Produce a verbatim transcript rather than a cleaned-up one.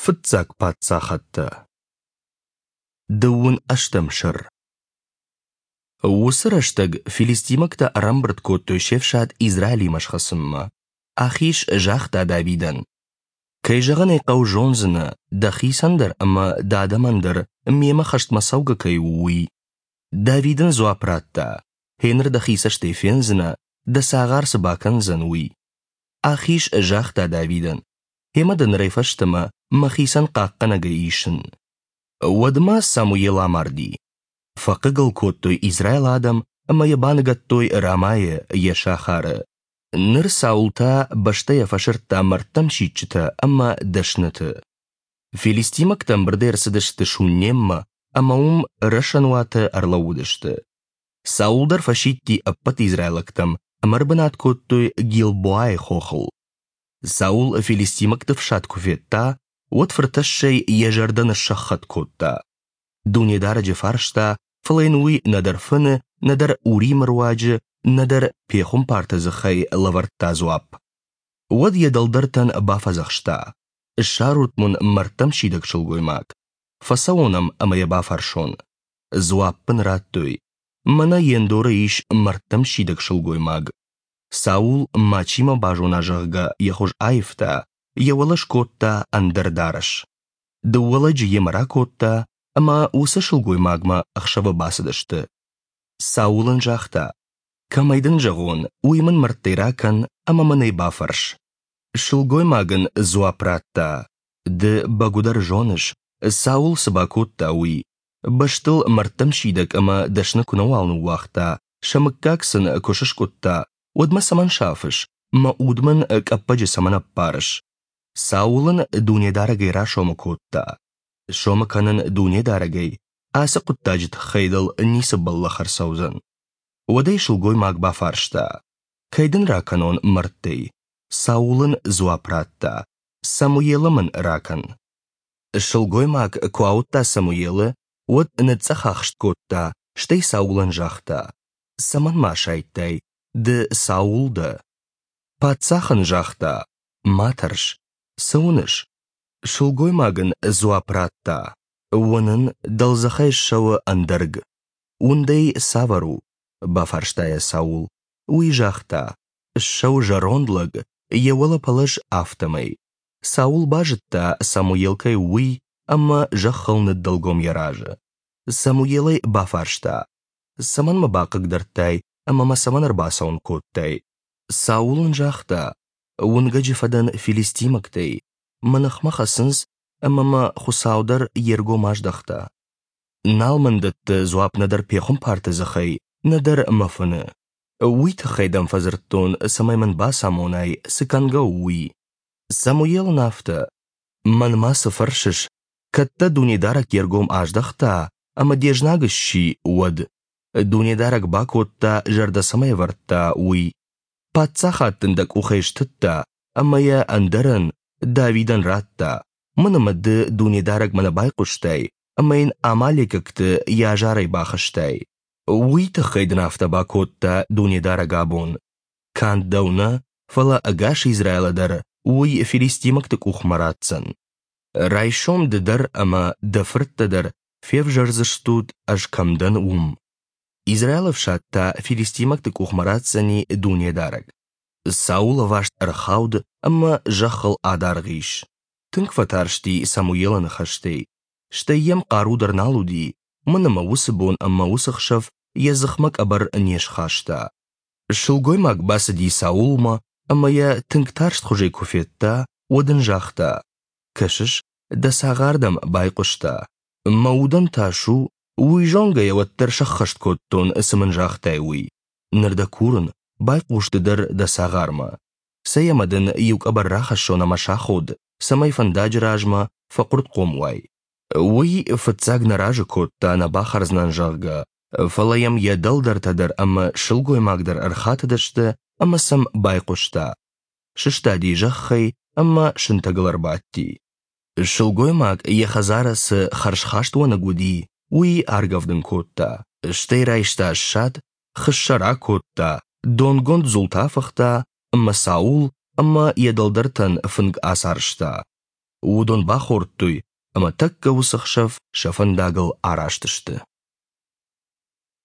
Фыццаг паддзахӕдтӕ. Дыууын ӕстӕм сӕр. Уыцы рӕстӕг филистимӕгтӕ ӕрӕмбырд кодтой се фсад Израилимӕ схӕцынмӕ. Ахиш загъта Давидӕн: «Кӕй зӕгъын ӕй хъӕуы, зондзынӕ, дӕхицӕн дӕр ӕмӕ дӕ адӕмӕн дӕр мемӕ хӕстмӕ цӕугӕ кӕй у, уый». Давид ын дзуапп радта: «Гъеныр дӕхи цӕстӕй фендзынӕ, дӕ цагъар цы бакӕндзӕн, уый». Ахиш загъта Давидӕн: «Гъемӕ дӕ нырӕй фӕстӕмӕ мӕхицӕн хъахъхъӕнӕгӕй исын». Уӕдмӕ Самуел амарди. Фӕхъыг ыл кодтой Израилы адӕм ӕмӕ йӕ баныгӕдтой Рамайы, йӕ сахары. Ныр Саул та бӕстӕйӕ фӕсырдта мӕрдтӕм сидджытӕ ӕмӕ дӕсныты. Филистимӕгтӕ ӕмбырдӕй ӕрцыдысты Шуннеммӕ ӕмӕ уым рӕсӕнуаты ӕрлӕууыдысты. Саул дӕр фӕсидти ӕппӕт израилӕгтӕм ӕмӕ ӕрбынат кодтой Гилбоайы хохыл. Саул филистимӕгты фсад куы федта, уӕд фыртӕссӕй йӕ зӕрдӕ ныссӕххӕтт кодта. Дунедарӕджы фарста, фӕлӕ йын уый нӕдӕр фыны, нӕдӕр Уримы руаджы, нӕдӕр пехуымпарты дзыхӕй лӕвӕрдта дзуапп. Уӕд йӕ дӕлдӕртӕн бафӕдзӕхста: «Ссарут мын мӕрдтӕм сидӕг сылгоймаг. Фӕцӕуон ӕм ӕмӕ йӕ бафӕрсон». Дзуапп ын радтой: «Мӕнӕ Ендоры ис мӕрдтӕм сидӕг сылгоймаг». Саул, мачи мӕ базона, зӕгъгӕ, йӕ хуыз аивта, йӕ уӕлӕ скодта ӕндӕр дарӕс. Дыууӕ лӕджы йемӕ ракодта ӕмӕ уыцы сылгоймагмӕ ӕхсӕвы бацыдысты. Саул ын загъта: «Кӕмӕй дын зӕгъон, уый мын мӕрдтӕй ракӕн ӕмӕ мын ӕй бафӕрс». Сылгоймаг ын дзуапп радта: «Ды бӕгуыдӕр зоныс, Саул цы бакодта, уый. Бӕстыл мӕрдтӕм сидӕг ӕмӕ дӕсны куы нӕуал ныууагъта, сӕ мыггаг сын куы сыскъуыдта, уӕд мӕ цӕмӕн сафыс, мӕ уд мын къӕппӕджы цӕмӕн ӕппарыс?» Саул ын Дунедарӕгӕй расомы кодта: «Сомы кӕнын Дунедарӕгӕй, ацы хъуыддаджы тыххӕй дыл ницы бӕллӕх ӕрцӕудзӕн». Уӕд ӕй сылгоймаг бафарста: «Кӕй дын ракӕнон мӕрдтӕй?» Саул ын дзуапп радта: «Самуелы мын ракӕн». Сылгоймаг куы ауыдта Самуелы, уӕд ныцъцъӕхахст кодта, стӕй Саулӕн загъта: «Цӕмӕн мӕ асайдтай? Ды Саул дӕ». Паддзах ын загъта: «Ма тӕрс. Цы уыныс?» Сылгоймаг ын дзуапп радта: «Уынын, дӕлдзӕхӕй ссӕуы ӕндӕрг». «Уындӕй цавӕр у?» – бафарста йӕ Саул. Уый загъта: «Ссӕуы зӕронд лӕг, йӕ уӕлӕ пӕлӕз, афтӕмӕй». Саул базыдта, Самуел кӕй у, уый, ӕмӕ зӕххыл ныддӕлгом йӕ разы. Самуел ӕй бафарста: «Цӕмӕн мӕ бахъыгдардтай ӕмӕ мӕ цӕмӕн ӕрбацӕуын кодтай?» Саул ын загъта: «Уынгӕджы фӕдӕн филистимӕгтӕй, мӕ ныхмӕ хӕцынц, ӕмӕ мӕ Хуыцау дӕр йе ргом аздӕхта. Нал мын дӕтты дзуапп нӕдӕр пехуымпарты дзыхӕй, нӕдӕр мӕ фыны. Уый тыххӕй дӕм фӕдзырдтон, цӕмӕй мын бацамонай, цы кӕнгӕ у, уый». Самуел ын афтӕ: «Мӕнмӕ цы фӕрсыс, кӕд дӕ Дунедарӕг йе ргом аздӕхта ӕмӕ де знаг сси, уӕд? Дунедарӕг бакодта, зӕрдӕ цӕмӕй ӕвӕрдта, уый. Паддзахад дын дӕ къухӕй стыдта ӕмӕ йӕ ӕндӕрӕн, Давидӕн радта, мӕн ӕмӕ ды Дунедарӕгмӕ нӕ байхъуыстай ӕмӕ йын амалекӕгты йӕ азарӕй бахызтай. Уый тыххӕй дын афтӕ бакодта Дунедарӕг абон. Канд дӕу нӕ, фӕлӕ ӕгас Израилы дӕр уый филистимӕгты къухмӕ ратдзӕн. Райсом ды дӕр ӕмӕ дӕ фырттӕ дӕр февзӕрдзыстут, ӕз кӕм дӕн, уым. Израилы ӕфсад та филистимӕгты къухмӕ ратдзӕни Дунедарӕг». Саул ӕваст ӕрхауд ӕмӕ зӕххыл адаргъ ис. Тынг фӕтарсти Самуелы ныхӕстӕй. Стӕй йӕм хъару дӕр нал уыди, уымӕн ӕмӕ уыцы бон ӕмӕ уыцы хсӕв йӕ дзыхмӕ къӕбӕр не схаста. Сылгоймаг бацыди Саулмӕ ӕмӕ йӕ тынг тарстхуызӕй куы федта, уӕд ын загъта: «Кӕсыс, дӕ цагъар дӕм байхъуыста. Мӕ удӕн тас у, уый зонгӕйӕ уӕддӕр сӕххӕст кодтон, цы мын загътай, уый. Ныр дӕ курын, байхъус ды дӕр дӕ цагъармӕ. Цӕй ӕмӕ дын иу къӕбӕр рахӕссон ӕмӕ саход, цӕмӕй фӕндаджы размӕ фӕхъуыртхъом уай». Уый фыццаг нӕ разы кодта, нӕ бахӕрдзынӕн, зӕгъгӕ, фӕлӕ йӕм йӕ дӕлдӕртӕ дӕр ӕмӕ сылгоймаг дӕр ӕрхатыдысты ӕмӕ сӕм байхъуыста. Сыстади зӕххӕй ӕмӕ сынтӕгыл ӕрбадти. Сылгоймаг йӕ хӕдзары цы хӕрзхаст уӕныг уыди, уый аргӕвдын кодта, стӕй райста ссад, хыссӕ ракодта, донгонд дзултӕ афыхта ӕмӕ Саул ӕмӕ йӕ дӕлдӕртӕн фынг ацарӕзта. Уыдон бахордтой ӕмӕ тӕккӕ уыцы хсӕв сӕ фӕндагыл араст сты.